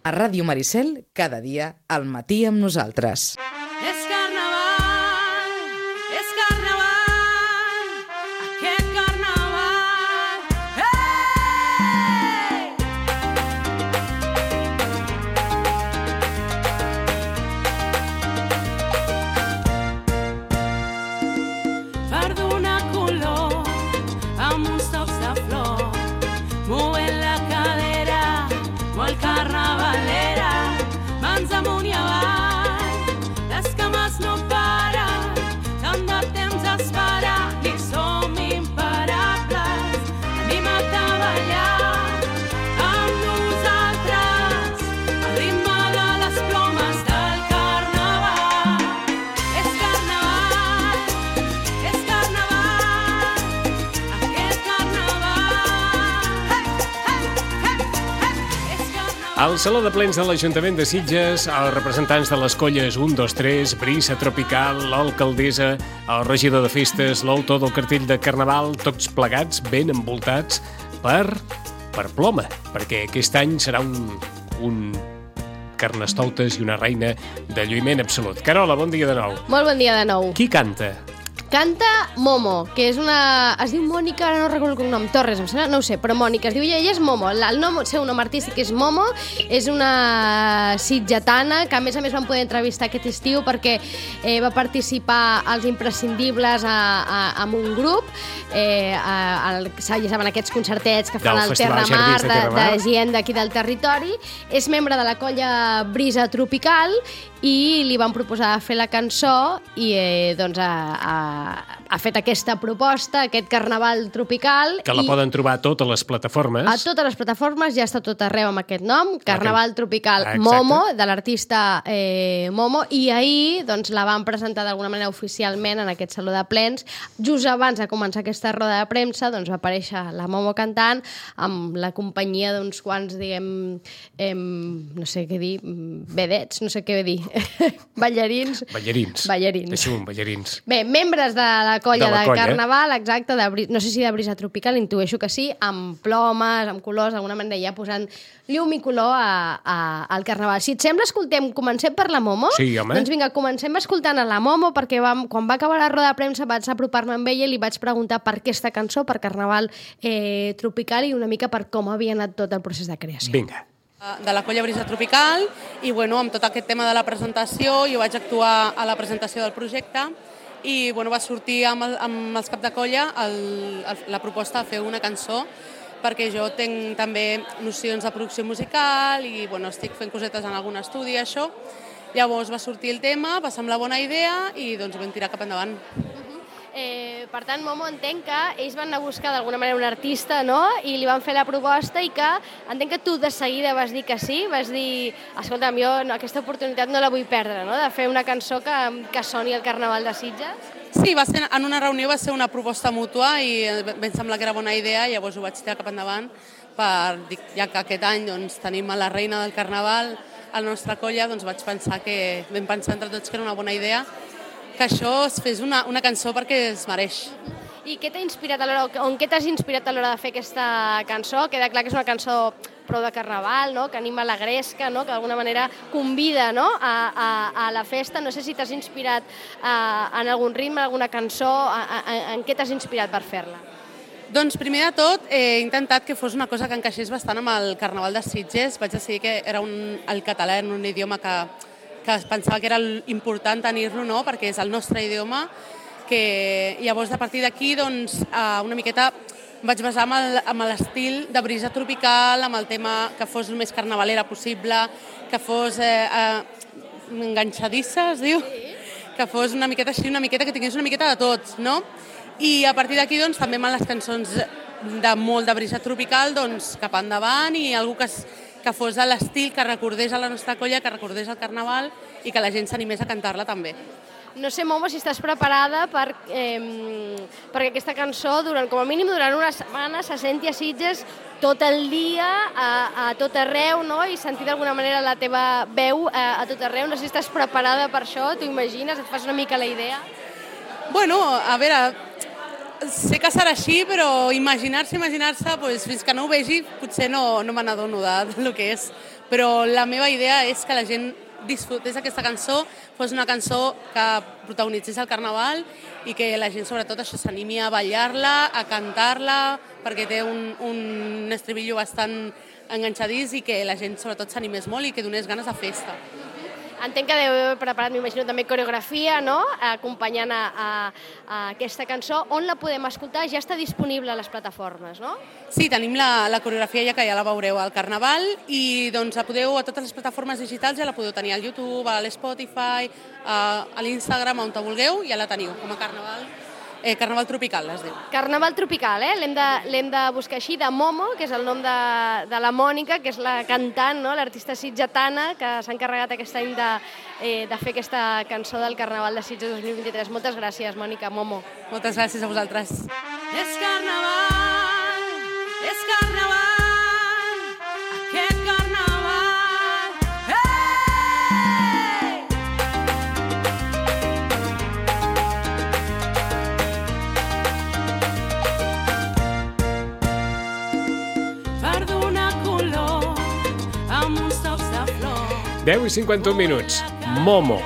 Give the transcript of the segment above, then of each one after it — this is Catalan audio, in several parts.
A Ràdio Maricel, cada dia, al matí amb nosaltres. És carnaval, aquest carnaval, hey! Per donar color amb uns tocs de flor, movent la cadera, molt carnavalera, mans amunt i avall, les cames no paren, tant de temps esperar, i som imparables, anima't a ballar amb nosaltres, al ritme de les plomes del carnaval. És carnaval, aquest carnaval, és carnaval. Al Saló de Plens de l'Ajuntament de Sitges, els representants de les colles 1, 2, 3, Brisa Tropical, l'alcaldessa, el regidor de festes, l'autor del cartell de Carnaval, tots plegats, ben envoltats per ploma, perquè aquest any serà un carnestoltes i una reina de lluïment absolut. Carola, bon dia de nou. Molt bon dia de nou. Qui canta? Canta Momo, que és una... Es diu Mònica, ara no recordo el cognom, Torres, em sembla, no ho sé, però Mònica, es diu ella és Momo. El seu nom artístic és Momo, és una sitgetana que a més van poder entrevistar aquest estiu perquè va participar als Imprescindibles amb un grup, ja saben, aquests concertets que fan al Terra Mar de gent d'aquí del territori. És membre de la colla Brisa Tropical i li van proposar fer la cançó i doncs ha fet aquesta proposta, aquest carnaval tropical. Que la poden trobar a totes les plataformes. A totes les plataformes, ja està tot arreu amb aquest nom, Carnaval Tropical Momo, de l'artista Momo, i ahir doncs, la van presentar d'alguna manera oficialment en aquest Saló de Plens. Just abans de començar aquesta roda de premsa doncs, va aparèixer la Momo cantant amb la companyia d'uns quants, diguem, no sé què dir, vedets, no sé què dir, ballarins. Deixem-ho, ballarins. Bé, membres de la colla de Carnaval, exacte, no sé si de Brisa Tropical, intueixo que sí, amb plomes, amb colors, d'alguna manera ja posant llum i color al Carnaval. Si et sembla, comencem per la Momo? Sí, home. Doncs vinga, comencem escoltant a la Momo, perquè quan va acabar la roda de premsa vaig apropar-me amb ella i li vaig preguntar per aquesta cançó, per Carnaval Tropical, i una mica per com havia anat tot el procés de creació. Vinga. De la colla Brisa Tropical, i amb tot aquest tema de la presentació, jo vaig actuar a la presentació del projecte, i va sortir amb els cap de colla la proposta de fer una cançó, perquè jo tinc també nocions de producció musical i estic fent cosetes en algun estudi, això. Llavors va sortir el tema, va semblar bona idea i doncs vam tirar cap endavant. Per tant, Momo, entenc que ells van anar a buscar d'alguna manera un artista, no?, i li van fer la proposta i que entenc que tu de seguida vas dir que sí, vas dir, escolta'm, jo aquesta oportunitat no la vull perdre, no?, de fer una cançó que soni al Carnaval de Sitges. Sí, en una reunió va ser una proposta mútua i vam semblar que era bona idea, llavors ho vaig tirar cap endavant, ja que aquest any tenim a la reina del Carnaval a la nostra colla, doncs vam pensar entre tots que era una bona idea que això es fes una cançó perquè es mereix. I què t'ha inspirat en què t'has inspirat a l'hora de fer aquesta cançó? Queda clar que és una cançó prou de carnaval, no?, que anima la gresca, no?, que d'alguna manera convida, no?, a la festa. No sé si t'has inspirat en algun ritme, en alguna cançó, en què t'has inspirat per fer-la? Doncs primer de tot he intentat que fos una cosa que encaixés bastant amb el Carnaval de Sitges. Vaig decidir que era el català, un idioma que pensava que era important tenir-lo, no?, perquè és el nostre idioma, que llavors a partir d'aquí doncs, una miqueta vaig basar amb l'estil de Brisa Tropical, amb el tema que fos el més carnavalera possible, que fos enganxadissa, es diu, que fos una miqueta així, una miqueta que tingués una miqueta de tot, no? I a partir d'aquí doncs, també amb les cançons molt de Brisa Tropical doncs, cap endavant i algú que fos a l'estil que recordés a la nostra colla, que recordés el Carnaval i que la gent s'animés a cantar-la també. No sé, Momo, si estàs preparada perquè aquesta cançó, com a mínim durant una setmana, se senti a Sitges tot el dia, a tot arreu, no?, i sentir d'alguna manera la teva veu a tot arreu. No sé si estàs preparada per això, t'ho imagines, et fas una mica la idea? Bueno, a veure, sé que serà així, però imaginar-se, doncs, fins que no ho vegi, potser no me n'adono del que és. però la meva idea és que la gent disfrutés aquesta cançó, fos una cançó que protagonitzés el carnaval i que la gent sobretot això s'animi a ballar-la, a cantar-la, perquè té un estribillo bastant enganxadís i que la gent sobretot s'animés molt i que donés ganes de festa. Entenc que deu haver preparat, m'imagino, també coreografia, no?, acompanyant a aquesta cançó. On la podem escoltar? Ja està disponible a les plataformes, no? Sí, tenim la coreografia ja que ja la veureu al Carnaval i doncs la podeu, a totes les plataformes digitals ja la podeu tenir al YouTube, a l'Spotify, a l'Instagram, on te vulgueu, ja la teniu, com a Carnaval Tropical, es diu. Carnaval Tropical, l'hem de buscar així, de Momo, que és el nom de la Mònica, que és la cantant, no?, l'artista sitgetana, que s'ha encarregat aquest any de fer aquesta cançó del Carnaval de Sitges 2023. Moltes gràcies, Mònica, Momo. Moltes gràcies a vosaltres. És carnaval, aquest carnaval, hey! Per donar color amb uns tocs de flor. 10:51. Momo.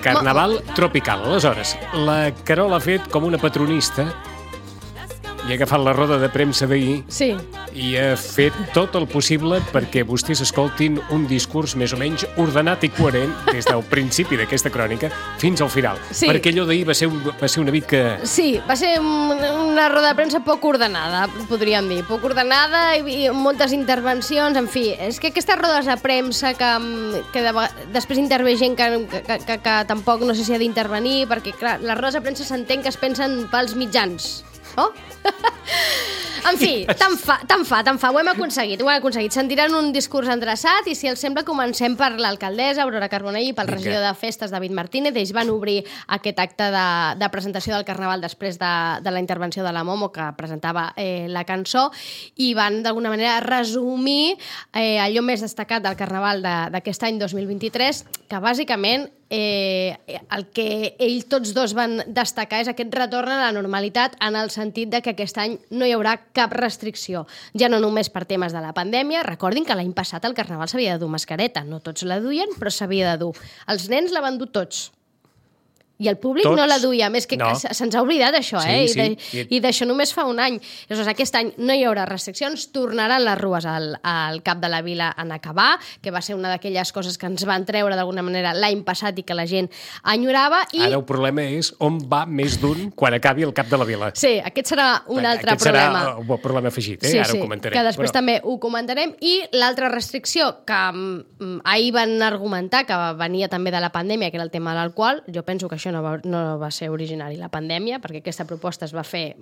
Carnaval tropical. Aleshores, la Carol ha fet com una patronista i ha agafat la roda de premsa d'ahir Sí. i ha fet tot el possible perquè vostès escoltin un discurs més o menys ordenat i coherent des del principi d'aquesta crònica fins al final. Sí. Perquè allò d'ahir va ser una mica... Sí, va ser una roda de premsa poc ordenada, podríem dir. Poc ordenada i moltes intervencions, en fi. És que aquestes rodes de premsa que després intervé gent que tampoc no sé si ha d'intervenir, perquè, clar, les rodes de premsa s'entén que es pensen pels mitjans. Oh? En fi, tant fa. Ho hem aconseguit. Sentiran un discurs endreçat i, si els sembla, comencem per l'alcaldessa Aurora Carbonell i pel regidor de Festes, David Martínez. Ells van obrir aquest acte de presentació del Carnaval després de la intervenció de la Momo, que presentava la cançó, i van, d'alguna manera, resumir allò més destacat del Carnaval d'aquest any 2023, que bàsicament el que ells tots dos van destacar és aquest retorn a la normalitat, en el sentit de que aquest any no hi haurà cap restricció. Ja no només per temes de la pandèmia. Recordin que l'any passat al Carnaval s'havia de dur mascareta. No tots la duien, però s'havia de dur. Els nens la van dur tots. I el públic no la duia, més que no. Se'ns ha oblidat això, Sí. I d'això només fa un any. Llavors, aquest any no hi haurà restriccions, tornaran les rues al cap de la vila en acabar, que va ser una d'aquelles coses que ens van treure d'alguna manera l'any passat i que la gent enyorava. Ara el problema és on va més d'un quan acabi el cap de la vila. Sí, aquest serà un altre problema. Aquest serà un problema afegit, Sí, ara ho comentarem. que després també ho comentarem. I l'altra restricció que ahir van argumentar, que venia també de la pandèmia, que era el tema de l'alcohol, jo penso que això no va ser originari la pandèmia, perquè aquesta proposta es va fer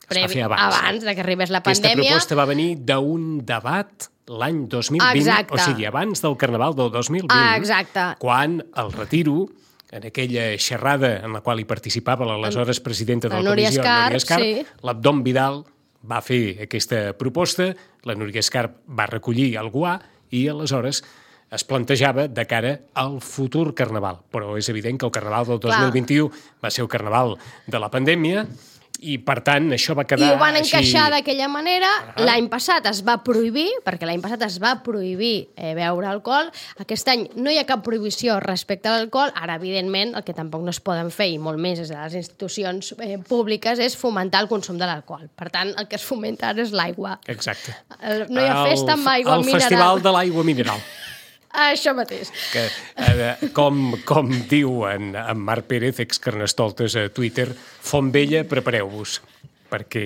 abans de que arribés la pandèmia. Aquesta proposta va venir d'un debat l'any 2020, Exacte. O sigui, abans del Carnaval del 2020, Exacte. quan el Retiro, en aquella xerrada en la qual hi participava l'aleshores presidenta de la comissió, Núria Escarp, sí. l'Abdom Vidal va fer aquesta proposta, la Núria Escarp va recollir el guà i aleshores es plantejava de cara al futur Carnaval. Però és evident que el Carnaval del 2021 va ser el Carnaval de la pandèmia i, per tant, això va quedar... I ho van encaixar d'aquella manera. L'any passat es va prohibir, perquè l'any passat es va prohibir beure alcohol. Aquest any no hi ha cap prohibició respecte a l'alcohol. Ara, evidentment, el que tampoc no es poden fer, i molt més des de les institucions públiques, és fomentar el consum de l'alcohol. Per tant, el que es fomenta ara és l'aigua. Exacte. No hi ha festa amb aigua mineral. El Festival de l'Aigua Mineral. Això mateix. Que, com diu en Marc Pérez, ex-Carnestoltes a Twitter, Font Vella, prepareu-vos, perquè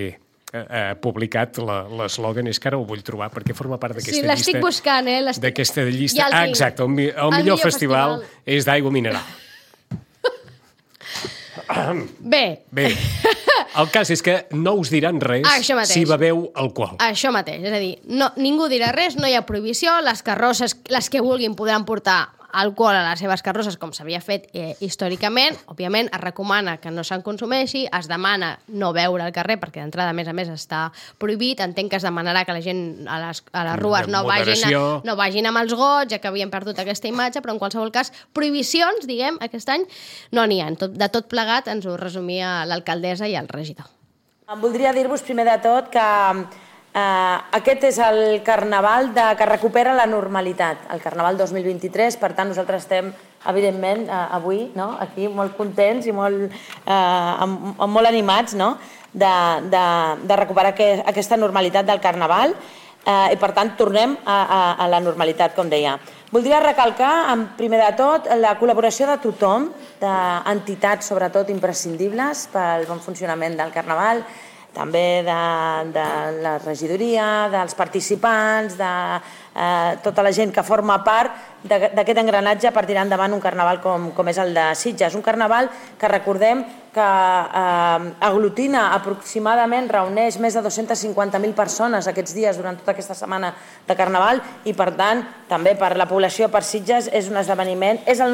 ha publicat l'eslògan, és que ara ho vull trobar, perquè forma part d'aquesta llista. Sí, l'estic buscant, D'aquesta llista. Exacte, el millor festival és d'aigua mineral. Bé. El cas és que no us diran res si beveu alcohol. Això mateix, és a dir, ningú dirà res, no hi ha prohibició, les carrosses, les que vulguin, podran portar alcohol a les seves carrosses, com s'havia fet històricament. Òbviament, es recomana que no se'n consumeixi, es demana no beure al carrer, perquè d'entrada, a més, està prohibit. Entenc que es demanarà que la gent a les rues no vagin amb els gots, ja que havien perdut aquesta imatge, però en qualsevol cas, prohibicions, diguem, aquest any, no n'hi ha. De tot plegat ens ho resumia l'alcaldessa i el regidor. Voldria dir-vos, primer de tot, que Aquest és el carnaval que recupera la normalitat, el carnaval 2023, per tant nosaltres estem evidentment avui aquí molt contents i molt animats de recuperar aquesta normalitat del carnaval i per tant tornem a la normalitat, com deia. Voldria recalcar, primer de tot, la col·laboració de tothom, d'entitats sobretot imprescindibles pel bon funcionament del carnaval, també de la regidoria, dels participants, de tota la gent que forma part d'aquest engranatge per tirar endavant un carnaval com és el de Sitges. Un carnaval que recordem que aglutina aproximadament, reuneix més de 250.000 persones aquests dies durant tota aquesta setmana de carnaval i per tant també per la població, per Sitges, és un esdeveniment, és un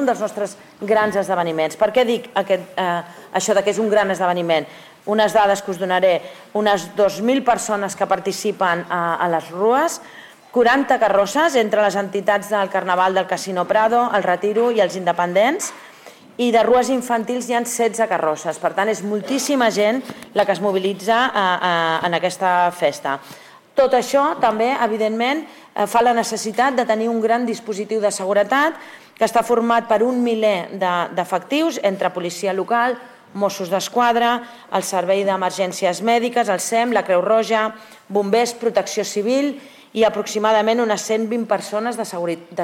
dels nostres grans esdeveniments. Per què dic això que és un gran esdeveniment? Unes dades que us donaré, unes 2.000 persones que participen a les rues, 40 carrosses entre les entitats del Carnaval del Casino Prado, el Retiro i els Independents, i de rues infantils hi ha 16 carrosses. Per tant, és moltíssima gent la que es mobilitza en aquesta festa. Tot això també, evidentment, fa la necessitat de tenir un gran dispositiu de seguretat que està format per 1 miler d'efectius entre policia local, Mossos d'Esquadra, el Servei d'Emergències Mèdiques, el SEM, la Creu Roja, bombers, protecció civil i aproximadament unes 120 persones de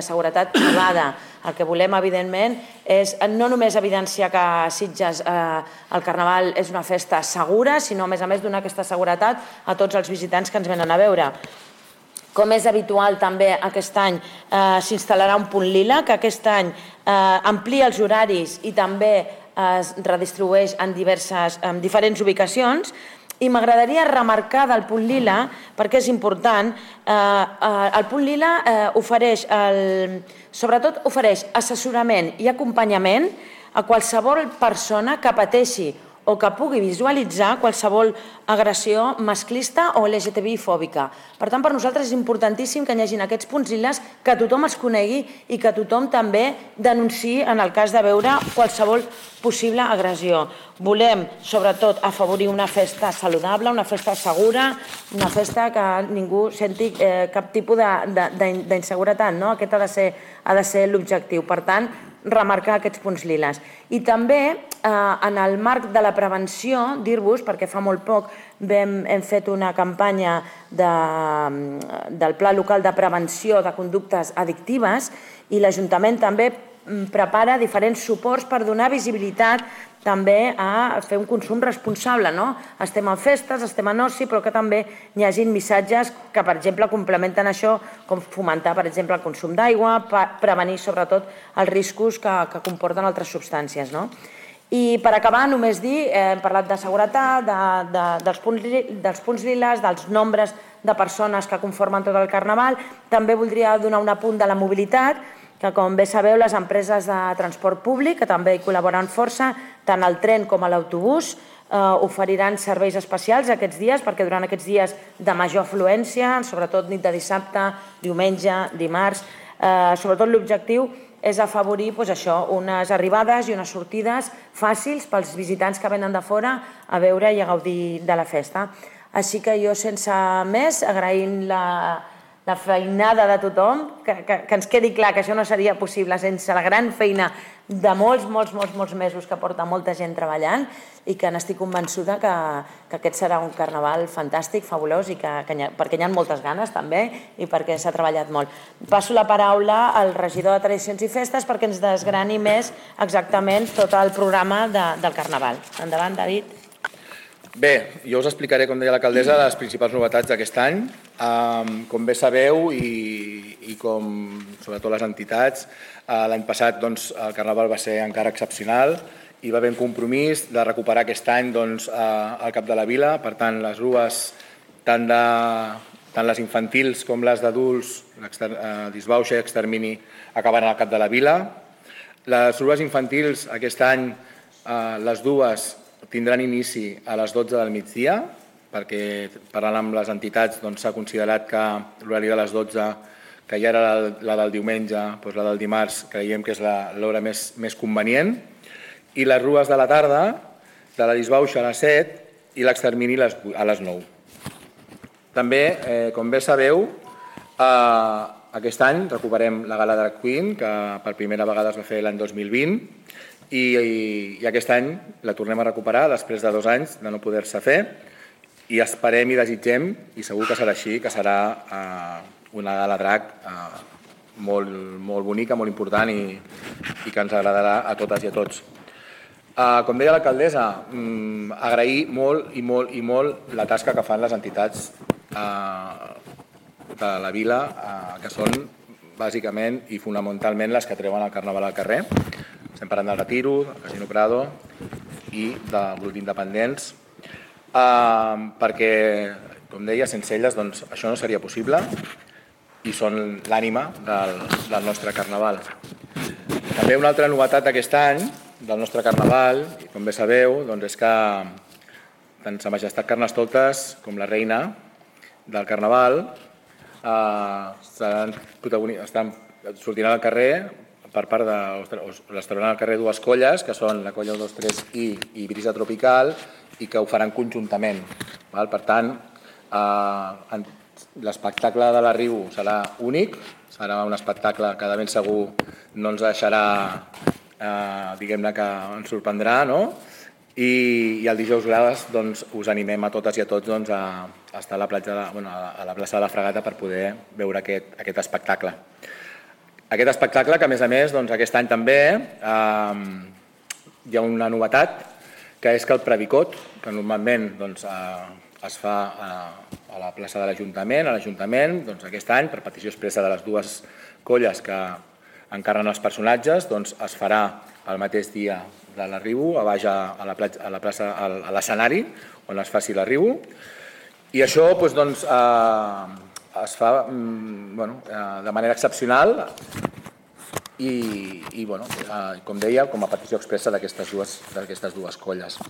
seguretat privada. El que volem, evidentment, és no només evidenciar que a Sitges el Carnaval és una festa segura, sinó, a més, donar aquesta seguretat a tots els visitants que ens venen a veure. Com és habitual també aquest any s'instal·larà un punt lila, que aquest any amplia els horaris i també es redistribueix en diferents ubicacions. I m'agradaria remarcar del punt lila, perquè és important, el punt lila sobretot ofereix assessorament i acompanyament a qualsevol persona que pateixi o que pugui visualitzar qualsevol agressió masclista o LGTBI-fòbica. Per tant, per nosaltres és importantíssim que hi hagi aquests punts liles, que tothom els conegui i que tothom també denunciï en el cas de veure qualsevol possible agressió. Volem, sobretot, afavorir una festa saludable, una festa segura, una festa que ningú senti cap tipus d'inseguretat. Aquest ha de ser l'objectiu. Per tant, remarcar aquests punts liles. I també, en el marc de la prevenció, dir-vos, perquè fa molt poc hem fet una campanya del Pla Local de Prevenció de Conductes Addictives i l'Ajuntament també prepara diferents suports per donar visibilitat també a fer un consum responsable. Estem en festes, estem en oci, però que també hi hagin missatges que, per exemple, complementen això, com fomentar, per exemple, el consum d'aigua, prevenir, sobretot, els riscos que comporten altres substàncies. I per acabar, només dir, hem parlat de seguretat, dels punts liles, dels nombres de persones que conformen tot el Carnaval. També voldria donar un apunt de la mobilitat, que, com bé sabeu, les empreses de transport públic, que també hi col·laboren força, tant el tren com l'autobús, oferiran serveis especials aquests dies, perquè durant aquests dies de major afluència, sobretot nit de dissabte, diumenge, dimarts, sobretot l'objectiu és afavorir unes arribades i unes sortides fàcils pels visitants que venen de fora a veure i a gaudir de la festa. Així que jo, sense més, agraint la feinada de tothom, que ens quedi clar que això no seria possible sense la gran feina de molts mesos que porta molta gent treballant i que n'estic convençuda que aquest serà un carnaval fantàstic, fabulós, i perquè hi ha moltes ganes també i perquè s'ha treballat molt. Passo la paraula al regidor de Tradicions i Festes perquè ens desgrani més exactament tot el programa del carnaval. Endavant, David. Bé, jo us explicaré, com deia l'alcaldessa, les principals novetats d'aquest any. Com bé sabeu, i com sobretot les entitats, l'any passat el Carnaval va ser encara excepcional i va haver un compromís de recuperar aquest any el Cap de la Vila. Per tant, les rues, tant les infantils com les d'adults, disbauxa i extermini, acabaran al Cap de la Vila. Les rues infantils, aquest any, les dues, tindran inici a les 12 del migdia, perquè parlant amb les entitats s'ha considerat que l'horari de les 12, que ja era la del diumenge, la del dimarts, creiem que és l'hora més convenient, i les rues de la tarda, de la disbauxa a les 7 i l'extermini a les 9. També, com bé sabeu, aquest any recuperem la Gala Drag Queen, que per primera vegada es va fer l'any 2020, i aquest any la tornem a recuperar després de 2 anys de no poder-se fer, i esperem i desitgem, i segur que serà així, que serà una Gala Drag molt, molt bonica, molt important i que ens agradarà a totes i a tots. Com deia l'alcaldessa, agrair molt i molt i molt la tasca que fan les entitats de la vila, que són bàsicament i fonamentalment les que treuen el carnaval al carrer. Estem parlant del Retiro, del Casino Prado i del grup d'independents, perquè, com deia, sense elles doncs, això no seria possible i són l'ànima del nostre carnaval. També una altra novetat d'aquest any del nostre carnaval, com bé sabeu, doncs és que tant Sa Majestat Carnestoltes com la reina del carnaval sortiran al carrer per part de... les trauran al carrer 2 colles, que són la colla 1-2-3 i Brisa Tropical, i que ho faran conjuntament. Per tant, l'espectacle de l'Arribo serà únic, serà un espectacle que de ben segur no ens deixarà, diguem-ne que ens sorprendrà, no? I el dijous graves us animem a totes i a tots a estar a la plaça de la Fragata per poder veure aquest espectacle. Aquest espectacle que, a més, aquest any també hi ha una novetat, que és que el Previcot, que normalment es fa a la plaça de l'Ajuntament, aquest any, per petició expressa de les 2 colles que encarren els personatges, es farà el mateix dia de l'Arribo, a baix a la plaça, a l'escenari, on es faci l'Arribo. I això es fa de manera excepcional i, com deia, com a petició expressa d'aquestes 2 colles.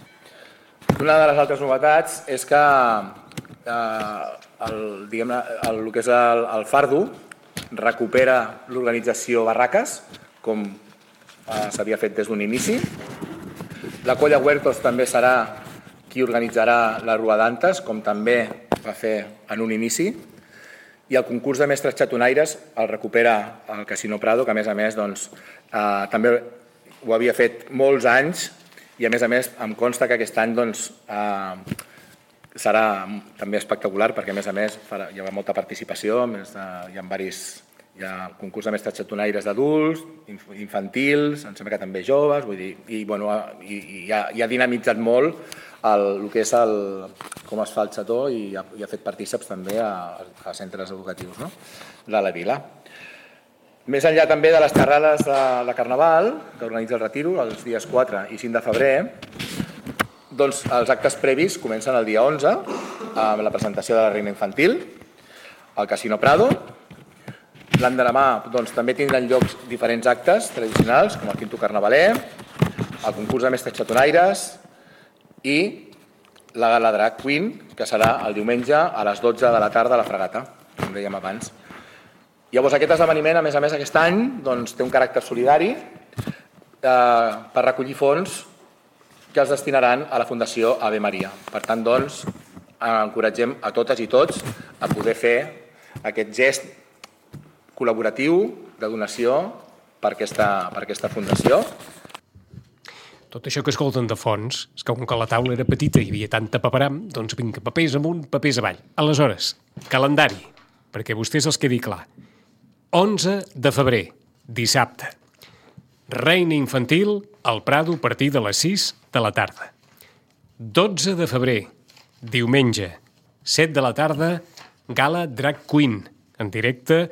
Una de les altres novetats és que el que és el Fardo recupera l'organització Barraques, com s'havia fet des d'un inici. La colla Huertos també serà qui organitzarà la Rua d'Antes, com també va fer en un inici. I el concurs de mestres xatonaires el recupera el Casino Prado, que a més també ho havia fet molts anys, i a més em consta que aquest any serà també espectacular, perquè a més hi haurà molta participació, hi ha concurs de mestres xatonaires d'adults, infantils, em sembla que també joves, vull dir, i ha dinamitzat molt el que és com es fa el xató i ha fet partíceps també a centres educatius de la vila. Més enllà també de les xerrades de Carnaval, que organitza el Retiro els dies 4 i 5 de febrer, doncs els actes previs comencen el dia 11 amb la presentació de la Reina Infantil al Casino Prado. L'endemà també tindran lloc diferents actes tradicionals, com el Quinto Carnavaler, el concurs de mestres xatonaires i la Gala Drag Queen, que serà el diumenge a les 12 de la tarda a la Fragata, com dèiem abans. Llavors, aquest esdeveniment, a més, aquest any, té un caràcter solidari per recollir fons que els destinaran a la Fundació Ave Maria. Per tant, encoratgem a totes i tots a poder fer aquest gest col·laboratiu de donació per aquesta fundació. Tot això que escolten de fons, és que com que la taula era petita i hi havia tanta paperam, doncs vinga, papers amunt, papers avall. Aleshores, calendari, perquè a vostès els quedi clar. 11 de febrer, dissabte. Reina Infantil al Prado a partir de les 6 de la tarda. 12 de febrer, diumenge, 7 de la tarda, Gala Drag Queen, en directe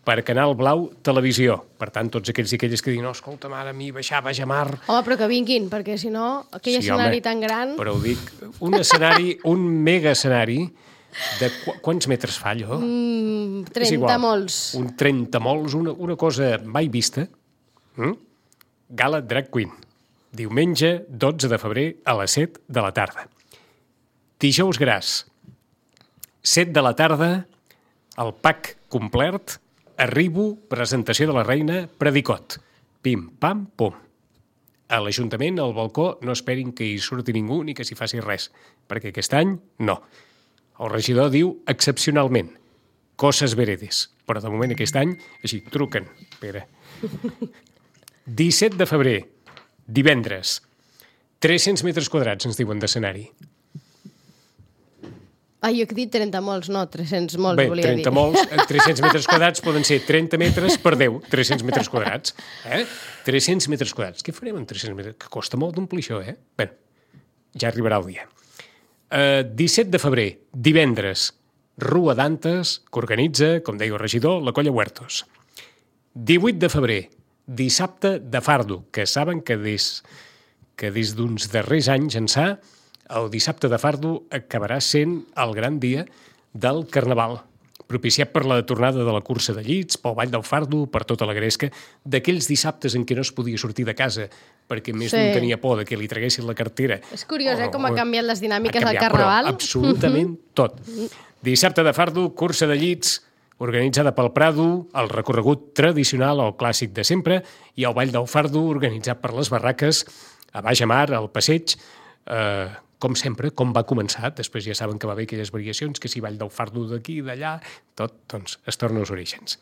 per Canal Blau Televisió. Per tant, tots aquells i aquelles que diuen, no, escolta, mare, a mi baixava a Jamar... Home, però que vinguin, perquè si no, aquell escenari tan gran... Però ho dic, un escenari, un mega escenari, de quants metres fa allò? 30 molts. Un 30 molts, una cosa mai vista. Gala Drag Queen. Diumenge 12 de febrer a les 7 de la tarda. Dijous gras. 7 de la tarda, el pack complet, Arribo, presentació de la reina, Predicot. Pim, pam, pum. A l'Ajuntament, al balcó, no esperin que hi surti ningú ni que s'hi faci res, perquè aquest any no. El regidor diu excepcionalment, coses veredes. Però de moment aquest any, així, truquen. Espera. 17 de febrer, divendres. 300 metres quadrats, ens diuen, d'escenari. Jo he dit 30 molts, no, 300 molts, Bé, volia dir. 30 molts, 300 metres quadrats poden ser 30 metres per 10, 300 metres quadrats. 300 metres quadrats. Què farem amb 300 metres? Que costa molt d'omplir això, Bé, ja arribarà el dia. 17 de febrer, divendres, Rua d'Antes, que organitza, com deia el regidor, la Colla Huertos. 18 de febrer, dissabte de Fardo, que saben que des d'uns darrers anys ençà, el dissabte de Fardo acabarà sent el gran dia del Carnaval, propiciat per la tornada de la cursa de llits, pel Vall del Fardo, per tota la gresca, d'aquells dissabtes en què no es podia sortir de casa perquè més d'un tenia por de que li traguessin la cartera. És curiós, com ha canviat les dinàmiques del Carnaval. Però absolutament tot. Dissabte de Fardo, cursa de llits, organitzada pel Prado, el recorregut tradicional, el clàssic de sempre, i el Vall del Fardo, organitzat per les barraques, a Baix a Mar, al Passeig, com sempre, com va començar. Després ja saben que va haver aquelles variacions, que si Vall del Fardo d'aquí i d'allà, tot, doncs, es torna als orígens.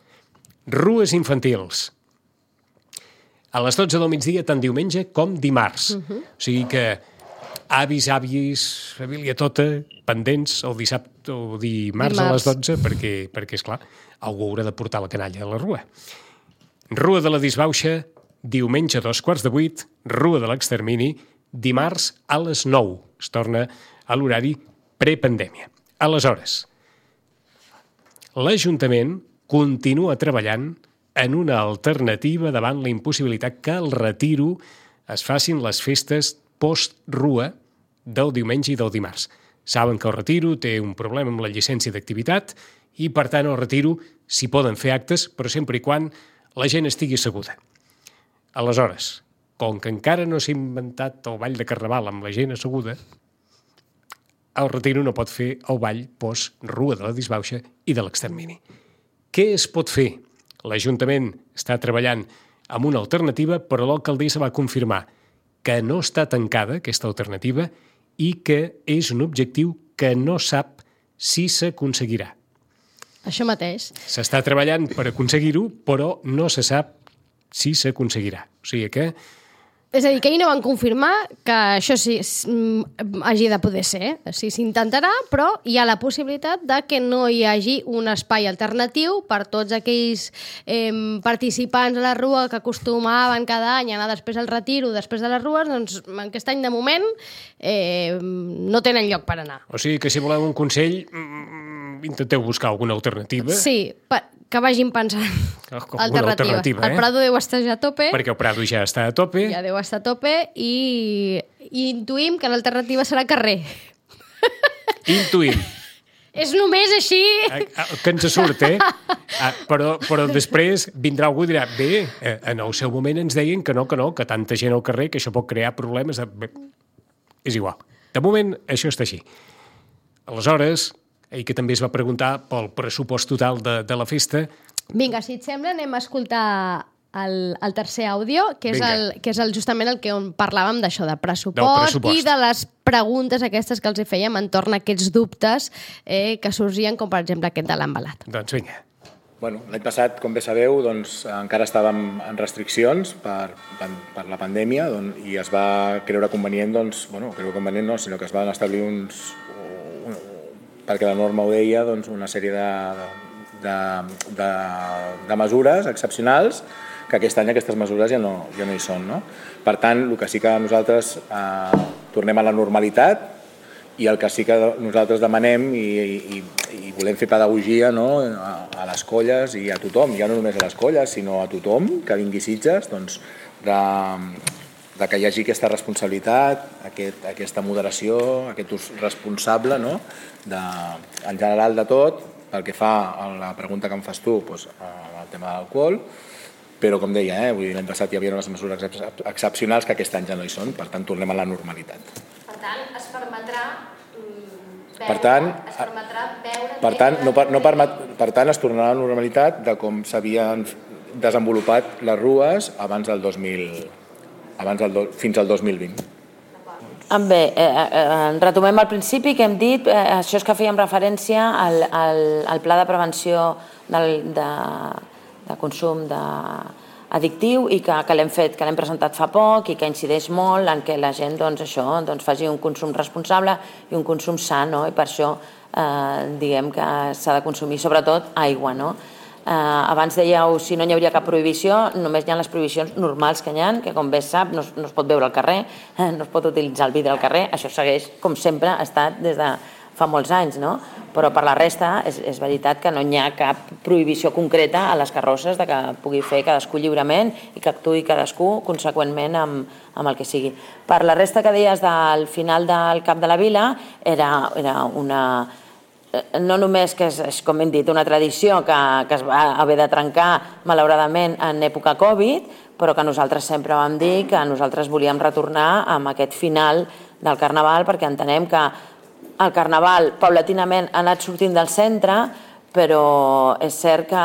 Rues infantils. A les 12 del migdia, tant diumenge com dimarts. O sigui que avis, àvies, família tota, pendents el dissabte o dimarts a les 12, perquè esclar, algú haurà de portar la canalla a la rua. Rua de la Disbauxa, diumenge a 7:45, Rua de l'Extermini, dimarts a les 9. Es torna a l'horari prepandèmia. Aleshores, l'Ajuntament continua treballant en una alternativa davant la impossibilitat que al retiro es facin les festes post-rua del diumenge i del dimarts. Saben que el retiro té un problema amb la llicència d'activitat i, per tant, al retiro s'hi poden fer actes, però sempre i quan la gent estigui asseguda. Aleshores, com que encara no s'ha inventat el ball de Carnaval amb la gent asseguda, el retiro no pot fer el ball post-rua de la Disbauxa i de l'Extermini. Què es pot fer? L'Ajuntament està treballant amb una alternativa, però l'alcaldessa va confirmar que no està tancada aquesta alternativa i que és un objectiu que no sap si s'aconseguirà. Això mateix. S'està treballant per aconseguir-ho, però no se sap si s'aconseguirà. O sigui que... És a dir, que ahir no van confirmar que això sí hagi de poder ser. Sí, s'intentarà, però hi ha la possibilitat de que no hi hagi un espai alternatiu per tots aquells participants a la rua que acostumaven cada any a anar després al retiro, després de les rues, doncs aquest any de moment no tenen lloc per anar. O sigui que si voleu un consell, intenteu buscar alguna alternativa. Sí, que vagin pensant alternatives. El Prado deu estar ja a tope. Perquè el Prado ja està a tope. Ja deu estar a tope i intuïm que l'alternativa serà carrer. Intuïm. És només així. Que ens surt, Però després vindrà algú i dirà bé, en el seu moment ens deien que no, que tanta gent al carrer, que això pot crear problemes. És igual. De moment, això està així. Aleshores, ell que també es va preguntar pel pressupost total de la festa. Vinga, si et sembla, anem a escoltar el tercer àudio, que és justament el que on parlàvem d'això, de pressupost i de les preguntes aquestes que els fèiem entorn a aquests dubtes que sorgien, com per exemple aquest de l'embalat. Doncs vinga. Bueno, l'any passat, com bé sabeu, doncs, encara estàvem en restriccions per la pandèmia i es va creure convenient, sinó que es van establir perquè la norma ho deia, doncs, una sèrie de mesures excepcionals que aquest any aquestes mesures ja no hi són. No? Per tant, el que sí que nosaltres tornem a la normalitat i el que sí que nosaltres demanem i volem fer pedagogia, no? A les colles i a tothom, ja no només a les colles, sinó a tothom que vingui a Sitges, doncs, de que hi hagi aquesta responsabilitat, aquesta moderació, aquest ús responsable, no? En general de tot, pel que fa a la pregunta que em fas tu, doncs, el tema de l'alcohol, però com deia, l'any passat hi havia unes mesures excepcionals que aquest any ja no hi són, per tant tornem a la normalitat. Per tant, es permetrà Per tant, es tornarà a la normalitat de com s'havien desenvolupat les rues fins al 2020. Bé, retomem al principi que hem dit, això és que fèiem referència al pla de prevenció de consum addictiu i que l'hem fet, que l'hem presentat fa poc i que incideix molt en què la gent faci un consum responsable i un consum sa, i per això diguem que s'ha de consumir sobretot aigua. Abans dèieu si no hi hauria cap prohibició, només hi ha les prohibicions normals que hi ha, que com bé es sap no es pot beure al carrer, no es pot utilitzar el vidre al carrer, això segueix com sempre ha estat des de fa molts anys, però per la resta és veritat que no hi ha cap prohibició concreta a les carrosses de que pugui fer cadascú lliurement i que actuï cadascú conseqüentment amb el que sigui. Per la resta que deies del final del Cap de la Vila era una... no només que és, com hem dit, una tradició que es va haver de trencar malauradament en època Covid, però que nosaltres sempre vam dir que nosaltres volíem retornar amb aquest final del Carnaval perquè entenem que el Carnaval paulatinament ha anat sortint del centre, però és cert que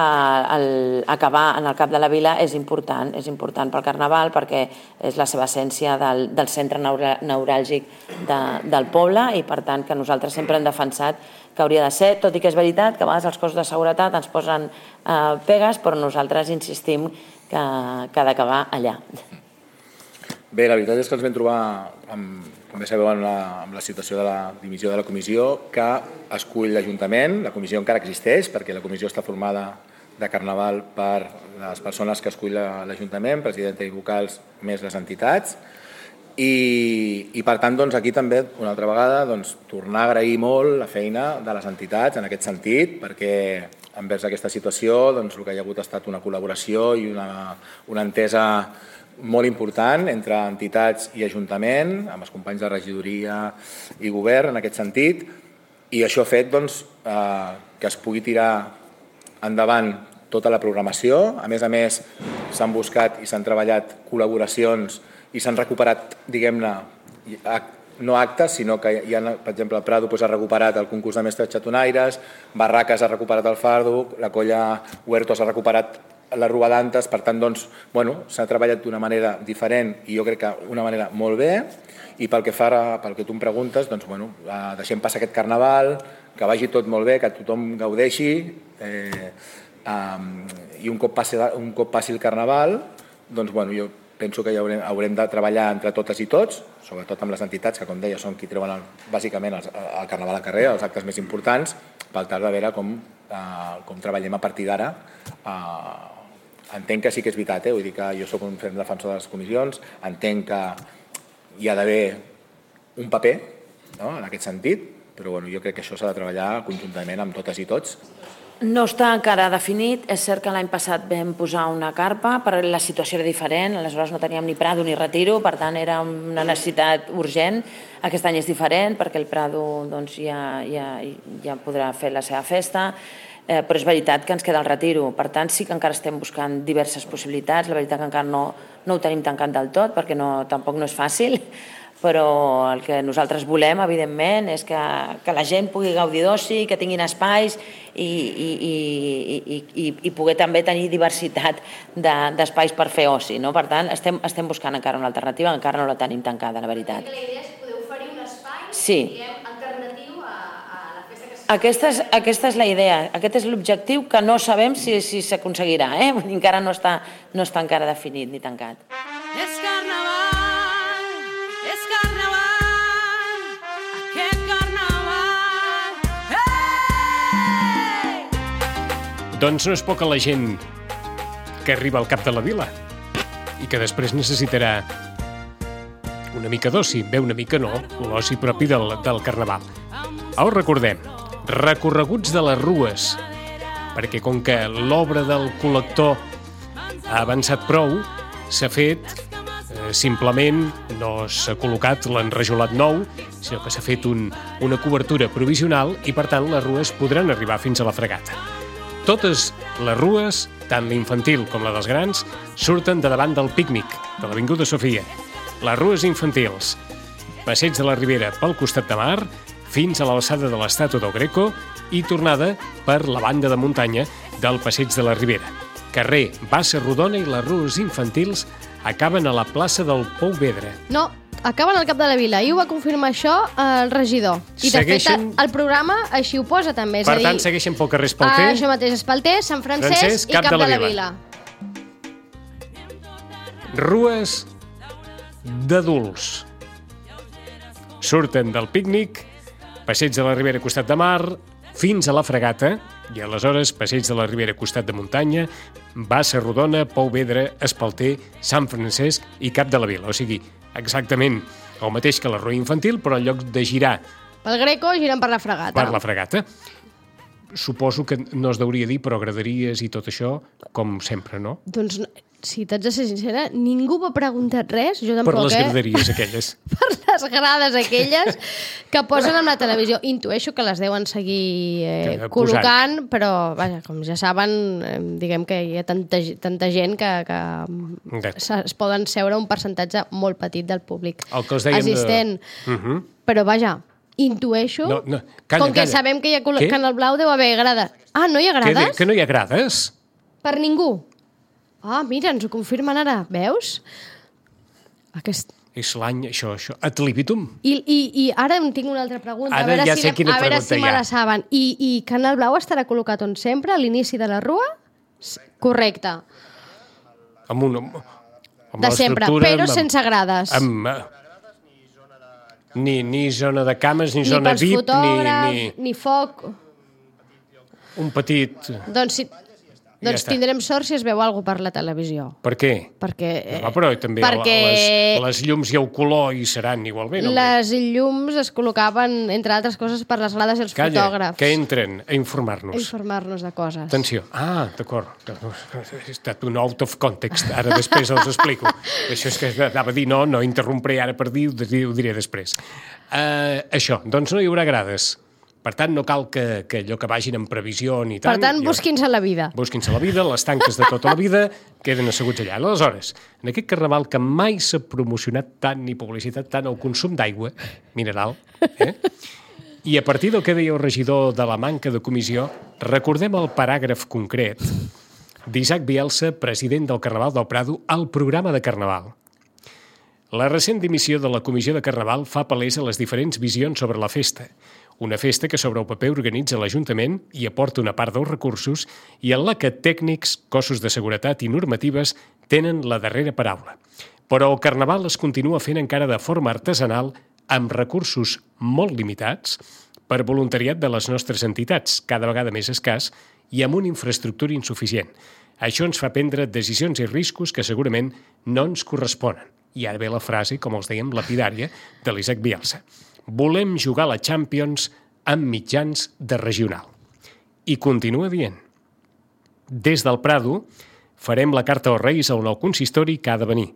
acabar en el Cap de la Vila és important pel Carnaval perquè és la seva essència del centre neuràlgic del poble i per tant que nosaltres sempre hem defensat que hauria de ser, tot i que és veritat que a vegades els cossos de seguretat ens posen pegues, però nosaltres insistim que ha d'acabar allà. Bé, la veritat és que ens vam trobar, com bé sabeu, amb la situació de la dimissió de la comissió que escull l'Ajuntament. La comissió encara existeix perquè la comissió està formada de Carnaval per les persones que escull l'Ajuntament, presidenta i vocals, més les entitats. I per tant, aquí també, una altra vegada, tornar a agrair molt la feina de les entitats en aquest sentit, perquè envers aquesta situació el que hi ha hagut ha estat una col·laboració i una entesa molt important entre entitats i Ajuntament, amb els companys de regidoria i govern en aquest sentit, i això ha fet que es pugui tirar endavant tota la programació. A més, s'han buscat i s'han treballat col·laboracions i s'han recuperat, diguem-ne, no actes, sinó que hi ha, per exemple, el Prado ha recuperat el concurs de mestres xatonaires, Barraques ha recuperat el fardo, la colla Huertos ha recuperat les robadantes, per tant, s'ha treballat d'una manera diferent i jo crec que d'una manera molt bé, i pel que tu em preguntes, deixem passar aquest Carnaval, que vagi tot molt bé, que tothom gaudeixi, i un cop passi el Carnaval, jo penso que haurem de treballar entre totes i tots, sobretot amb les entitats, que com deia són qui treuen bàsicament el Carnaval al carrer, els actes més importants, per tal de veure com treballem a partir d'ara. Entenc que sí que és veritat, vull dir que jo soc un ferm defensor de les comissions, entenc que hi ha d'haver un paper en aquest sentit, però jo crec que això s'ha de treballar conjuntament amb totes i tots. No està encara definit, és cert que l'any passat vam posar una carpa, però la situació era diferent, aleshores no teníem ni Prado ni Retiro, per tant era una necessitat urgent. Aquest any és diferent perquè el Prado ja podrà fer la seva festa, però és veritat que ens queda el Retiro, per tant sí que encara estem buscant diverses possibilitats, la veritat que encara no ho tenim tancat del tot perquè tampoc no és fàcil, però el que nosaltres volem, evidentment, és que la gent pugui gaudir d'oci, que tinguin espais i poder també tenir diversitat d'espais per fer oci. Per tant, estem buscant encara una alternativa, encara no la tenim tancada, la veritat. La idea és poder oferir un espai alternatiu a la festa que Aquesta és la idea, aquest és l'objectiu que no sabem si s'aconseguirà, encara no està encara definit ni tancat. És Carnaval, és Carnaval, aquest Carnaval, hey! Doncs no és poca la gent que arriba al Cap de la Vila i que després necessitarà una mica d'oci, bé, una mica no, l'oci propi del Carnaval. Us recordem, recorreguts de les rues, perquè com que l'obra del col·lector ha avançat prou, s'ha fet, simplement no s'ha col·locat l'enrajolat nou, sinó que s'ha fet una cobertura provisional i, per tant, les rues podran arribar fins a la Fregata. Totes les rues, tant l'infantil com la dels grans, surten de davant del pícnic de l'Avinguda Sofia. Les rues infantils, passeig de la Ribera pel costat de mar, fins a l'alçada de l'estàtua del Greco i tornada per la banda de muntanya del passeig de la Ribera. Carrer Bassa Rodona i les rues infantils acaben a la plaça del Pou Vedre. No, acaben al cap de la vila, i ho va confirmar això el regidor. I de fet el programa així ho posa també. Per tant, segueixen pel carrer Espalter. Això mateix, Espalter, Sant Francesc i Cap de la Vila. Rues d'adults. Surten del pícnic, passeig de la Ribera costat de mar, fins a la Fregata, i aleshores passeig de la Ribera costat de muntanya, Bassa Rodona, Pou Vedre, Espalter, Sant Francesc i Cap de la Vila. O sigui, exactament el mateix que la Rua Infantil, però en lloc de girar pel Greco, giren per la Fregata. Per la Fregata. Suposo que no es deuria dir, però graderies i tot això, com sempre, no? Doncs, si t'haig de ser sincera, ningú m'ha preguntat res, jo tampoc, Per les graderies aquelles. Per les grades aquelles que posen amb la televisió. Intueixo que les deuen seguir col·locant, però, vaja, com ja saben, diguem que hi ha tanta gent que es poden seure un percentatge molt petit del públic assistent. Però, vaja, intueixo, com que sabem que hi ha Canal Blau, deu haver grades. Ah, no hi ha grades? Que no hi ha grades? Per ningú? Ah, mira, ens ho confirmen ara, veus? És l'any, això, ad libitum. I ara em tinc una altra pregunta, a veure si me la saben. I Canal Blau estarà col·locat on sempre, a l'inici de la rua? Correcte. De sempre, però sense grades. Ni zona de cames, ni zona VIP, ni pels fotògrafs, ni foc. Un petit... Doncs tindrem sort si es veu alguna per la televisió. Per què? Perquè... Però també les llums i el color hi seran igualment. Les llums es col·locaven, entre altres coses, per les grades i els fotògrafs. Que entren a informar-nos. A informar-nos de coses. Atenció. Ah, d'acord. Ha estat un out of context. Ara després els explico. Això és que anava a dir, no interrompré ara per dir, ho diré després. Això, doncs no hi haurà grades. Per tant, no cal que allò que vagin en previsió ni tant. Per tant, busquin-se la vida. Busquin-se la vida, les tanques de tota la vida queden asseguts allà. Aleshores, en aquest carnaval que mai s'ha promocionat tant ni publicitat tant el consum d'aigua mineral, i a partir del que deia el regidor de la manca de comissió, recordem el paràgraf concret d'Isaac Bielsa, president del Carnaval del Prado, al programa de Carnaval. La recent dimissió de la Comissió de Carnaval fa palès a les diferents visions sobre la festa. Una festa que sobre el paper organitza l'Ajuntament i aporta una part dels recursos i en la que tècnics, cossos de seguretat i normatives tenen la darrera paraula. Però el Carnaval es continua fent encara de forma artesanal amb recursos molt limitats per voluntariat de les nostres entitats, cada vegada més escàs i amb una infraestructura insuficient. Això ens fa prendre decisions i riscos que segurament no ens corresponen. I ara ve la frase, com els dèiem, lapidària de l'Isaac Bielsa. Volem jugar a la Champions amb mitjans de regional. I continua dient. Des del Prado farem la carta als Reis al nou consistori que ha de venir.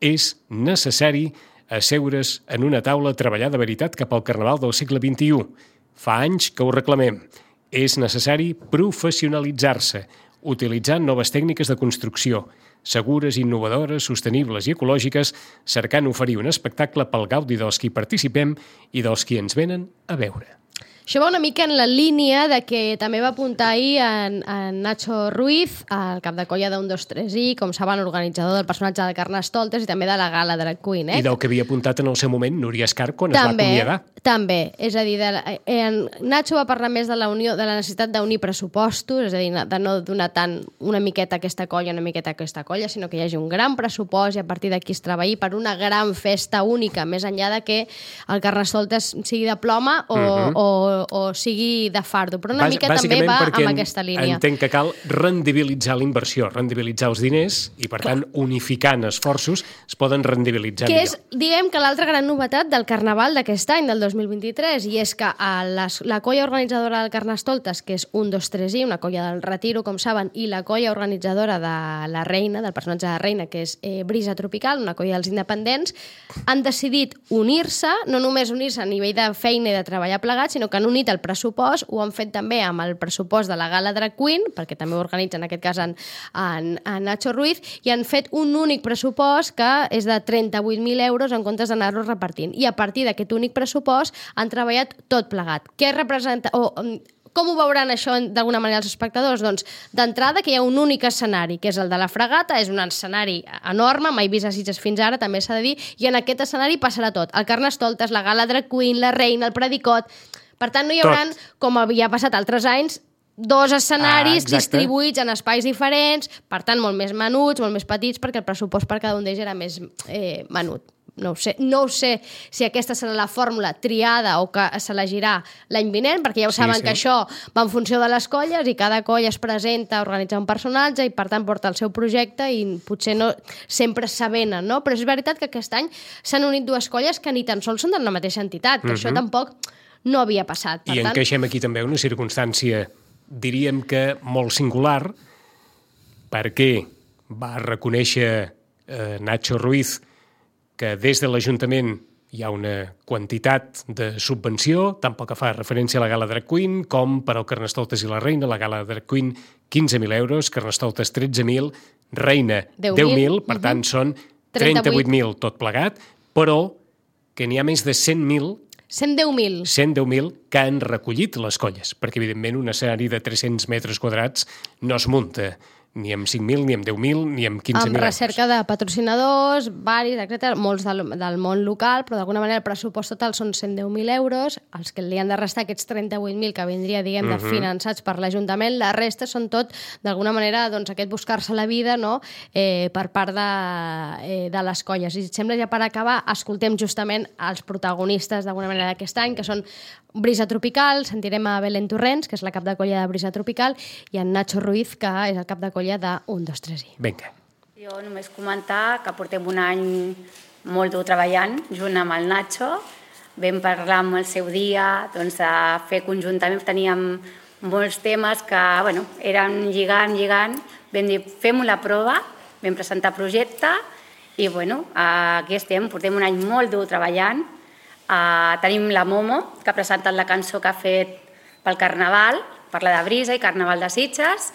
És necessari asseure's en una taula a treballar de veritat cap al Carnaval del segle XXI. Fa anys que ho reclamem. És necessari professionalitzar-se, utilitzant noves tècniques de construcció, segures, innovadores, sostenibles i ecològiques, cercant oferir un espectacle pel gaudi dels qui participem i dels qui ens venen a veure. Això va una mica en la línia de que també va apuntar ahir en Nacho Ruiz, el cap de colla d'1, 2, 3 i, com saben, organitzador del personatge de Carnestoltes i també de la gala Drag Queen. I del que havia apuntat en el seu moment Núria Escar quan es va acomiadar. També, és a dir, Nacho va parlar més de la necessitat d'unir pressupostos, és a dir, de no donar tant una miqueta a aquesta colla, una miqueta a aquesta colla, sinó que hi hagi un gran pressupost i a partir d'aquí es treballi per una gran festa única, més enllà de que el Carnestoltes sigui de ploma o sigui de fardo, però una mica també va amb aquesta línia. Entenc que cal rendibilitzar la inversió, rendibilitzar els diners i, per tant, unificant esforços es poden rendibilitzar millor. Que és, diguem, que l'altra gran novetat del Carnaval d'aquest any, del 2023, i és que la colla organitzadora del Carnestoltes, que és 1, 2, 3 i, una colla del Retiro, com saben, i la colla organitzadora de la Reina, del personatge de la Reina, que és Brisa Tropical, una colla dels independents, han decidit unir-se, no només unir-se a nivell de feina i de treballar plegats, sinó que han unit el pressupost, ho han fet també amb el pressupost de la Gala Drag Queen, perquè també ho organitza en aquest cas en Nacho Ruiz, i han fet un únic pressupost que és de 38.000 euros en comptes d'anar-los repartint. I a partir d'aquest únic pressupost han treballat tot plegat. Què representa... Com ho veuran això d'alguna manera els espectadors? Doncs d'entrada que hi ha un únic escenari, que és el de la Fregata, és un escenari enorme, mai vist a Sitges fins ara, també s'ha de dir, i en aquest escenari passarà tot. El Carnestoltes, la Gala Drag Queen, la Reina, el Predicot... Per tant, no hi haurà, com havia passat altres anys, dos escenaris distribuïts en espais diferents, per tant, molt més menuts, molt més petits, perquè el pressupost per cada un d'ells era més menut. No ho sé si aquesta serà la fórmula triada o que s'elegirà l'any vinent, perquè ja ho saben que això va en funció de les colles i cada colla es presenta a organitzar un personatge i per tant porta el seu projecte i potser no sempre s'avenen, no? Però és veritat que aquest any s'han unit dues colles que ni tan sols són de la mateixa entitat, que això tampoc no havia passat. I encaixem aquí també una circumstància, diríem que molt singular, perquè va reconèixer Nacho Ruiz que des de l'Ajuntament hi ha una quantitat de subvenció, tant pel que fa referència a la Gala Drag Queen, com per al Carnestoltes i la Reina. La Gala Drag Queen, 15.000 euros, Carnestoltes, 13.000, Reina, 10.000, per tant, són 38.000 tot plegat, però que n'hi ha més de 100.000 110.000 que han recollit les colles, perquè evidentment un escenari de 300 metres quadrats no es munta ni amb 5.000, ni amb 10.000, ni amb 15.000 euros. Amb recerca de patrocinadors, varis, etc., molts del món local, però d'alguna manera el pressupost total són 110.000 euros, els que li han de restar aquests 38.000 que vindria, diguem, de finançats per l'Ajuntament, la resta són tot, d'alguna manera, doncs, aquest buscar-se la vida, no?, per part de les colles. I si et sembla, ja per acabar, escoltem justament els protagonistes, d'alguna manera, d'aquest any, que són Brisa Tropical, sentirem a Belén Torrents, que és la cap de colla de Brisa Tropical, i en Nacho Ruiz, que és el cap de colla de 1, 2, 3 i. Vinga. Jo només comentar que portem un any molt dur treballant junt amb el Nacho. Vam parlar amb el seu dia, doncs, de fer conjuntament. Teníem molts temes que, bueno, eren lligant. Vam dir, fem la prova, vam presentar projecte i, bueno, aquí estem. Portem un any molt dur treballant. Tenim la Momo, que ha presentat la cançó que ha fet pel Carnaval, parla de Brisa i Carnaval de Sitges.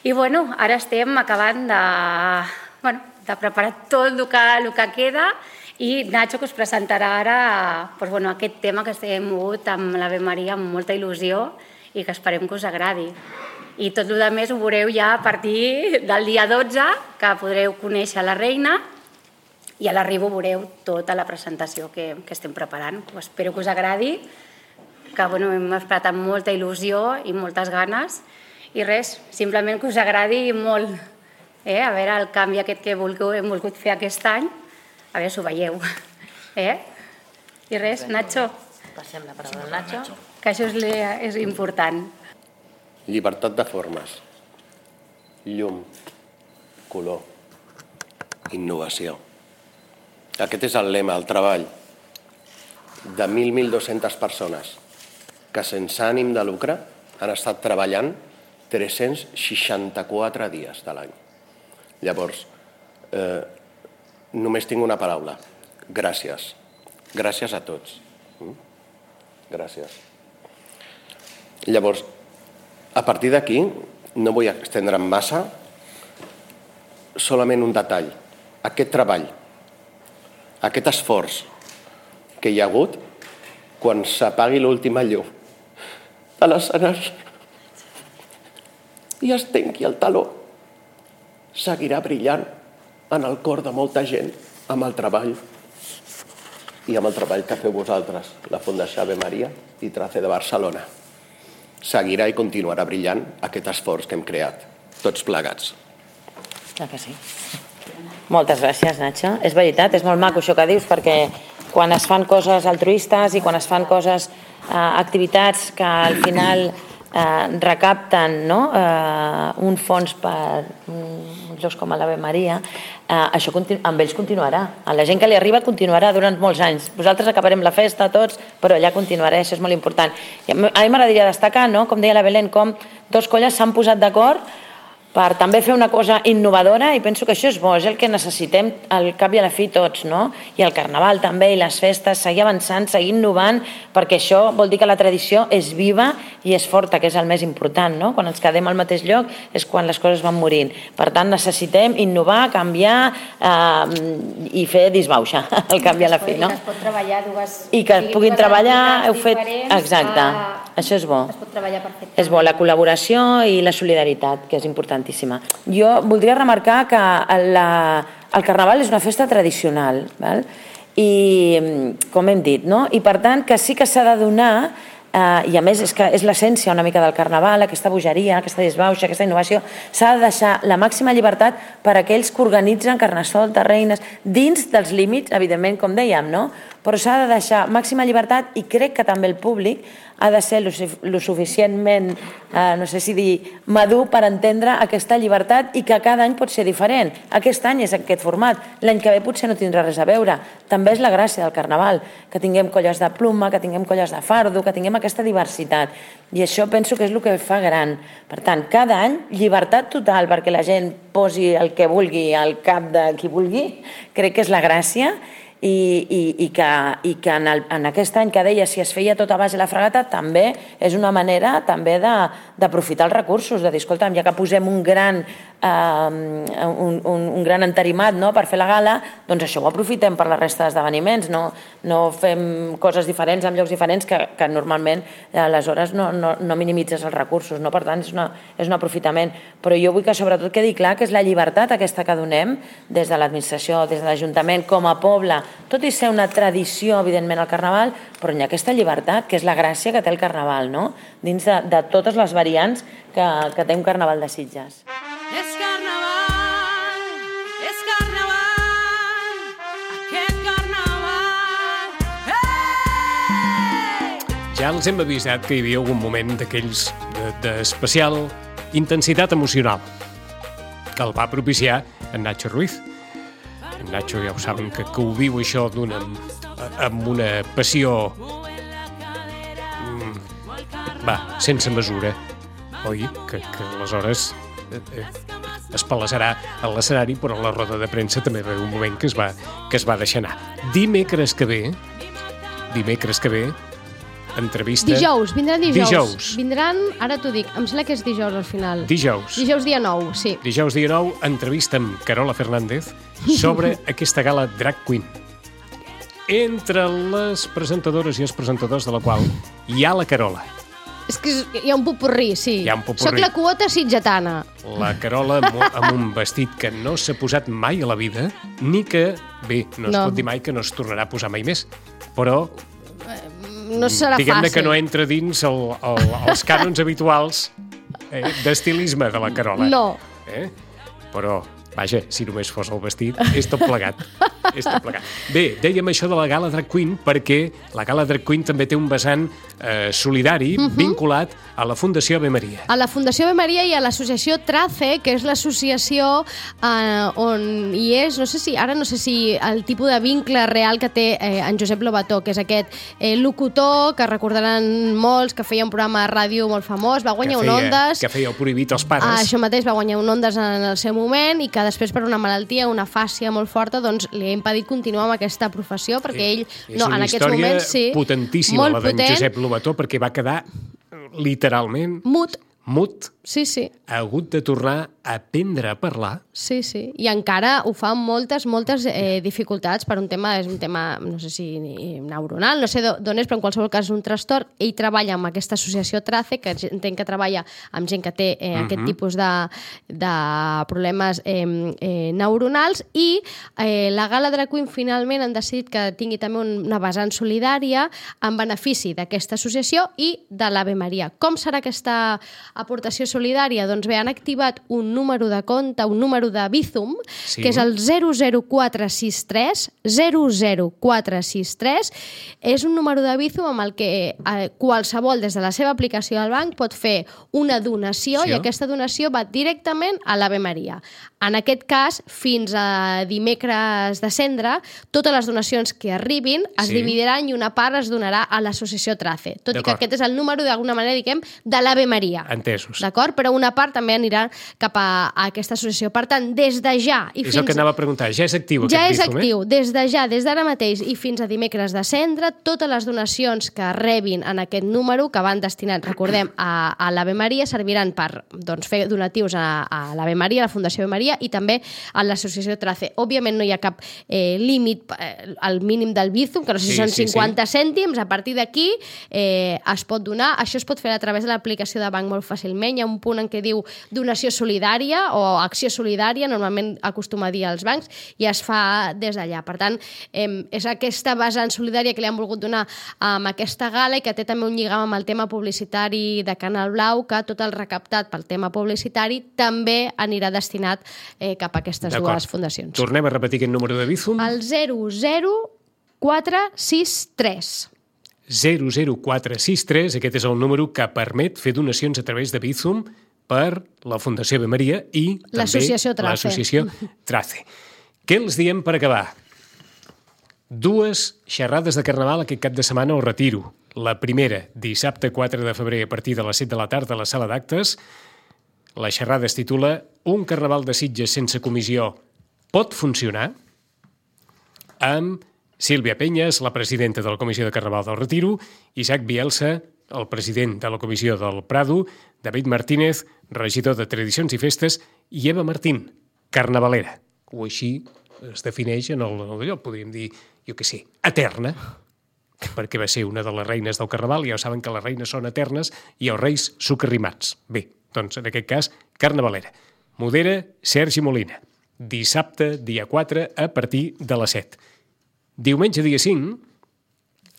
I bueno, ara estem acabant de preparar tot el que queda i Nacho, que us presentarà ara aquest tema que estem mogut amb l'Ave Maria amb molta il·lusió i que esperem que us agradi. I tot el més ho veureu ja a partir del dia 12, que podreu conèixer la Reina, i a l'arribo veureu tota la presentació que estem preparant. Espero que us agradi, que hem esperat amb molta il·lusió i moltes ganes. I res, simplement que us agradi molt. A veure el canvi aquest que hem volgut fer aquest any, a veure si ho veieu. I res, Nacho. Passem la paraula al Nacho. Que això és important. Llibertat de formes, llum, color, innovació. Aquest és el lema, el treball de 1.200 persones que sense ànim de lucre han estat treballant 364 dies de l'any. Llavors, només tinc una paraula. Gràcies. Gràcies a tots. Gràcies. Llavors, a partir d'aquí, no vull estendre'm massa, solament un detall. Aquest treball, aquest esforç que hi ha hagut quan s'apagui l'última llum de l'escenari i es tanqui el taló, seguirà brillant en el cor de molta gent amb el treball i amb el treball que feu vosaltres, la Fundació Ave Maria i Trace de Barcelona. Seguirà i continuarà brillant aquest esforç que hem creat, tots plegats. Clar que sí. Moltes gràcies, Nacho. És veritat, és molt maco això que dius, perquè quan es fan coses altruistes i quan es fan coses, activitats que al final recapten un fons per jocs com l'Ave Maria, això amb ells continuarà. A la gent que li arriba continuarà durant molts anys. Vosaltres acabarem la festa tots, però allà continuarà, això és molt important. A mi m'agradaria destacar, com deia la Belén, com dos colles s'han posat d'acord per també fer una cosa innovadora, i penso que això és bo, és el que necessitem al cap i a la fi tots, no? I el Carnaval també, i les festes, seguir avançant, seguir innovant, perquè això vol dir que la tradició és viva i és forta, que és el més important, no? Quan ens quedem al mateix lloc és quan les coses van morint. Per tant, necessitem innovar, canviar i fer disbauxa al cap i a la fi, no? I que es pot treballar dues... I que puguin treballar, heu fet... Exacte. Això és bo. Es pot treballar perfectament. És bo, la col·laboració i la solidaritat, que és importantíssima. Jo voldria remarcar que el Carnaval és una festa tradicional, val? I, com hem dit, no? I per tant que sí que s'ha de donar, i a més és que és l'essència una mica del Carnaval, aquesta bogeria, aquesta disbauxa, aquesta innovació, s'ha de deixar la màxima llibertat per a aquells que organitzen Carnestoltes, reines, dins dels límits, evidentment, com dèiem, no? Però s'ha de deixar màxima llibertat i crec que també el públic ha de ser lo suficientment, no sé si dir, madur per entendre aquesta llibertat i que cada any pot ser diferent. Aquest any és aquest format, l'any que ve potser no tindrà res a veure. També és la gràcia del Carnaval, que tinguem colles de pluma, que tinguem colles de fardo, que tinguem aquesta diversitat. I això penso que és el que fa gran. Per tant, cada any, llibertat total perquè la gent posi el que vulgui al cap de qui vulgui, crec que és la gràcia. I que en aquest any que deia si es feia tot a base de la fregata també és una manera també d'aprofitar els recursos, de dir, escolta'm, ja que posem un gran entarimat, no?, per fer la gala, doncs això ho aprofitem per la resta d'esdeveniments, no fem coses diferents en llocs diferents que normalment aleshores no minimitzes els recursos, no? Per tant és un aprofitament, però jo vull que sobretot quedi clar que és la llibertat aquesta que donem des de l'administració, des de l'Ajuntament, com a poble, tot i ser una tradició, evidentment, el Carnaval, però hi ha aquesta llibertat, que és la gràcia que té el Carnaval, no?, dins de totes les variants que té un Carnaval de Sitges. És Carnaval, aquest Carnaval, Ja els hem avisat que hi havia algun moment d'aquells d'especial intensitat emocional que el va propiciar en Nacho Ruiz. En Nacho ja ho saben que ho viu això amb una passió sense mesura, oi? Que aleshores es palassarà a l'escenari, però a la roda de premsa també va haver un moment que es va deixar anar. Dimecres que ve, entrevista... Vindran dijous. Dijous. Vindran, ara t'ho dic, em sembla que és dijous al final. Dijous dia 9, sí. Dijous dia 9, entrevista amb Carola Fernández sobre aquesta gala Drag Queen. Entre les presentadores i els presentadors de la qual hi ha la Carola. És que hi ha un popurrí, sí. Hi ha un popurrí. Soc la quota sitgetana. La Carola amb un vestit que no s'ha posat mai a la vida, ni que, bé, no es pot dir mai que no es tornarà a posar mai més, però... No serà fàcil. Diguem-ne que no entra dins els cànons habituals d'estilisme de la Carola. No. Però, vaja, si només fos el vestit, és tot plegat. Bé, dèiem això de la Gala Drag Queen perquè la Gala Drag Queen també té un vessant solidari vinculat a la Fundació Ave Maria. A la Fundació Ave Maria i a l'associació TRACE, que és l'associació on hi és, no sé si el tipus de vincle real que té en Josep Lobató, que és aquest locutor que recordaran molts, que feia un programa de ràdio molt famós, va guanyar un Ondas. Que feia el Prohibit als pares. Això mateix, va guanyar un Ondas en el seu moment i que després per una malaltia, una fàscia molt forta, doncs li ha impedit continuar amb aquesta professió perquè ell, en aquests moments, sí. És una història potentíssima, la d'en Josep Lobató, perquè va quedar literalment mut. Sí. Ha hagut de tornar a aprendre a parlar. Sí. I encara ho fa amb moltes dificultats per un tema, és un tema, no sé si neuronal, no sé d'on és, però en qualsevol cas és un trastorn. Ell treballa amb aquesta associació TRACE, que entenc que treballa amb gent que té aquest tipus de problemes neuronals, i la Gala Drag Queen finalment han decidit que tingui també una vessant solidària en benefici d'aquesta associació i de l'Ave Maria. Com serà aquesta aportació solidària? Doncs bé, han activat un número de compte, un número de Bizum, que és el 00463, 00463. És un número de Bizum amb el que qualsevol des de la seva aplicació del banc pot fer una donació i aquesta donació va directament a l'Ave Maria. En aquest cas, fins a dimecres de cendre, totes les donacions que arribin es dividiran i una part es donarà a l'associació TRACE, tot i que aquest és el número, d'alguna manera, diguem, de l'Ave Maria. Entesos. D'acord? suport, però una part també anirà cap a aquesta associació. Per tant, des de ja... És el que anava a preguntar, ja és actiu aquest ja és Bizum, actiu, des de ja, des d'ara mateix i fins a dimecres de cendre, totes les donacions que rebin en aquest número, que van destinats, recordem, a l'Ave Maria, serviran per fer donatius a l'Ave Maria, a la Fundació Ave Maria i també a l'associació Trace. Òbviament no hi ha cap límit al mínim del Bizum, que no sé si són 50 cèntims, a partir d'aquí es pot donar. Això es pot fer a través de l'aplicació de banc molt fàcilment. Hi ha un punt en què diu donació solidària o acció solidària, normalment acostuma a dir als bancs, i es fa des d'allà. Per tant, és aquesta vessant solidària que li han volgut donar amb aquesta gala i que té també un lligam amb el tema publicitari de Canal Blau, que tot el recaptat pel tema publicitari també anirà destinat cap a aquestes dues fundacions. Tornem a repetir aquest número de Bizum. El 00463. 00463, aquest és el número que permet fer donacions a través de Bizum per la Fundació Ave Maria i també l'associació Trace. Què els diem per acabar? 2 xerrades de Carnaval aquest cap de setmana al Retiro. La primera, dissabte 4 de febrer a partir de les 7 de la tarda a la sala d'actes. La xerrada es titula Un Carnaval de Sitges sense comissió pot funcionar? Amb Sílvia Penyes, la presidenta de la Comissió de Carnaval del Retiro, Isaac Bielsa, el president de la Comissió del Prado, David Martínez, regidor de Tradicions i Festes, i Eva Martín, carnavalera. O així es defineix en allò, podríem dir, jo què sé, eterna, perquè va ser una de les reines del Carnaval, i ja saben que les reines són eternes i els reis socarrimats. Bé, doncs en aquest cas, carnavalera. Modera Sergi Molina. Dissabte, dia 4, a partir de les 7. Diumenge, dia 5...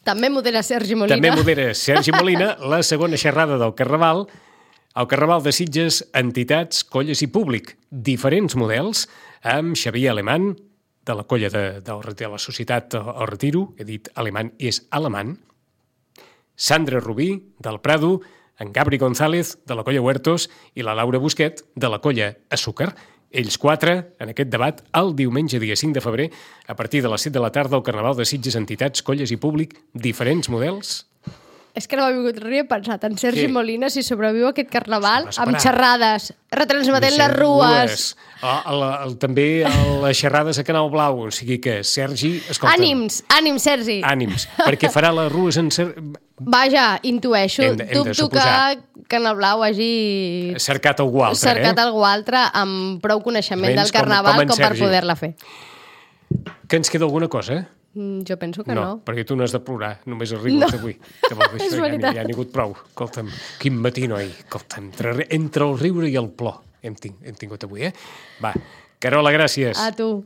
També modera Sergi Molina. També modera Sergi Molina, la segona xerrada del Carnaval, el Carnaval de Sitges, entitats, colles i públic. Diferents models, amb Xavier Alemany, de la colla de la Societat El Retiro, he dit alemany i és alemany, Sandra Rubí, del Prado, en Gabri González, de la colla Huertos, i la Laura Busquet, de la colla Azúcar. Ells 4, en aquest debat, el diumenge, dia 5 de febrer, a partir de les 7 de la tarda, al Carnaval de Sitges, entitats, colles i públic, diferents models. És que no m'ha vingut res, he pensat en Sergi Molina, si sobreviu aquest Carnaval, amb xerrades, retransmetent les rues. També les xerrades a Canal Blau, o sigui que Sergi... Ànims, Sergi. Ànims, perquè farà les rues en... Vaja, intueixo, dubto que Canal Blau hagi... cercat algú altre, amb prou coneixement del Carnaval com per poder-la fer. Que ens queda alguna cosa? Jo penso que no. No, perquè tu no has de plorar, només has rigut avui. És veritat. Ja n'hi ha hagut prou. Escolta'm, quin matí, noi. Escolta'm, entre el riure i el plor hem tingut avui, eh? Va, Carola, gràcies. A tu.